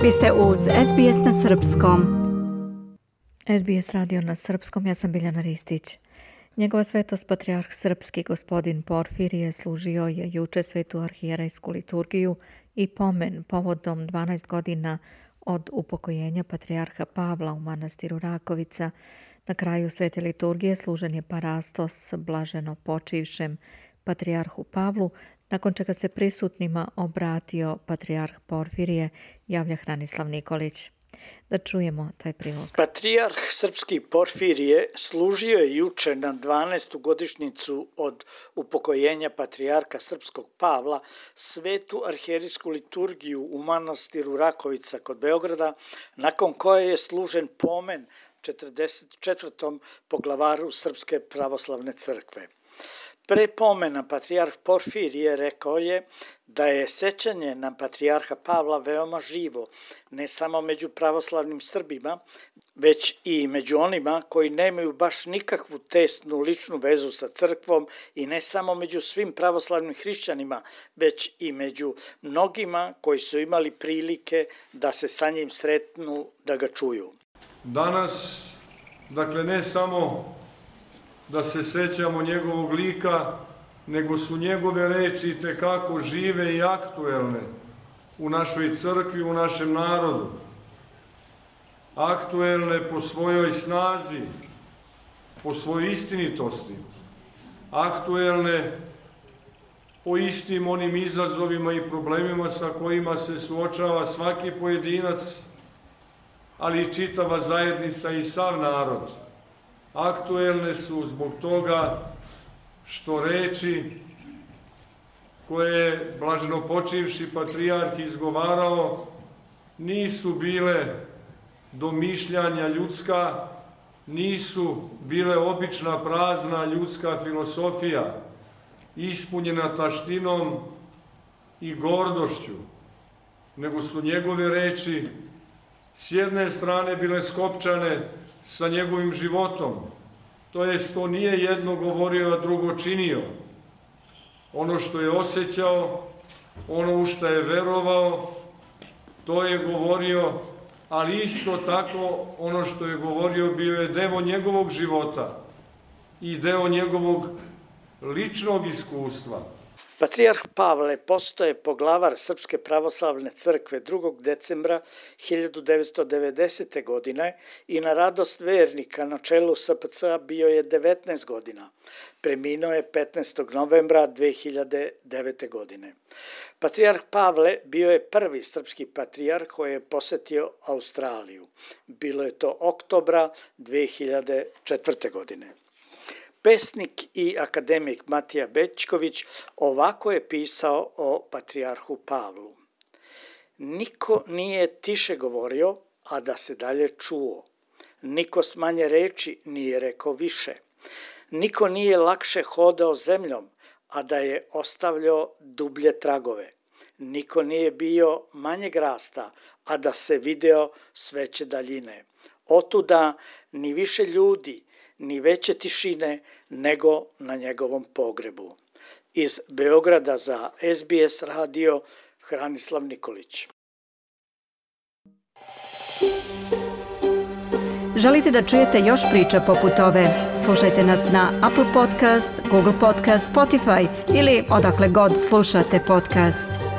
Vi ste uz SBS na Srpskom. SBS radio na Srpskom, ja sam Biljana Ristić. Njegova svetost patrijarh srpski gospodin Porfirije služio je juče svetu arhijerejsku liturgiju i pomen povodom 12 godina od upokojenja patrijarha Pavla u manastiru Rakovica. Na kraju svete liturgije služen je parastos blaženo počivšem patrijarhu Pavlu, nakon čega se prisutnima obratio patrijarh Porfirije, javlja Hranislav Nikolić. Da čujemo taj prilog. Patrijarh srpski Porfirije služio je juče na 12. godišnjicu od upokojenja patrijarha srpskog Pavla svetu arhijerejsku liturgiju u manastiru Rakovica kod Beograda, nakon koje je služen pomen 44. poglavaru Srpske pravoslavne crkve. Pre pomena patrijarh Porfirije rekao je da je sećanje na patrijarha Pavla veoma živo, ne samo među pravoslavnim Srbima, već i među onima koji nemaju baš nikakvu tesnu ličnu vezu sa crkvom i ne samo među svim pravoslavnim hrišćanima, već i među mnogima koji su imali prilike da se sa njim sretnu, da ga čuju. Danas, ne samo da se sećamo njegovog lika, nego su njegove reči itekako žive i aktuelne u našoj crkvi, u našem narodu. Aktuelne po svojoj snazi, po svojoj istinitosti, aktuelne po istim onim izazovima i problemima sa kojima se suočava svaki pojedinac, ali i čitava zajednica i sav narod. Aktuelne su zbog toga što reči koje je blaženo počivši patrijarh izgovarao nisu bile domišljanja ljudska, nisu bile obična prazna ljudska filosofija, ispunjena taštinom i gordošću, nego su njegove reči s jedne strane bile skopčane sa njegovim životom, to jest to nije jedno govorio, a drugo činio. Ono što je osjećao, ono u što je verovao, to je govorio, ali isto tako ono što je govorio bio je deo njegovog života i deo njegovog ličnog iskustva. Patrijarh Pavle postaje poglavar Srpske pravoslavne crkve 2. decembra 1990. godine i na radost vernika na čelu SPC bio je 19 godina. Preminuo je 15. novembra 2009. godine. Patrijarh Pavle bio je prvi srpski patrijarh koji je posetio Australiju. Bilo je to oktobra 2004. godine. Pesnik i akademik Matija Bećković ovako je pisao o patrijarhu Pavlu. Niko nije tiše govorio, a da se dalje čuo. Niko s manje reči nije rekao više. Niko nije lakše hodao zemljom, a da je ostavljao dublje tragove. Niko nije bio manjeg rasta, a da se video s veće daljine. Otuda ni više ljudi, ni veće tišine nego na njegovom pogrebu. Iz Beograda za SBS radio Hranislav Nikolić. Želite da čujete još priča poput ove? Slušajte nas na Apple Podcast, Google Podcast, Spotify ili odakle god slušate podcast.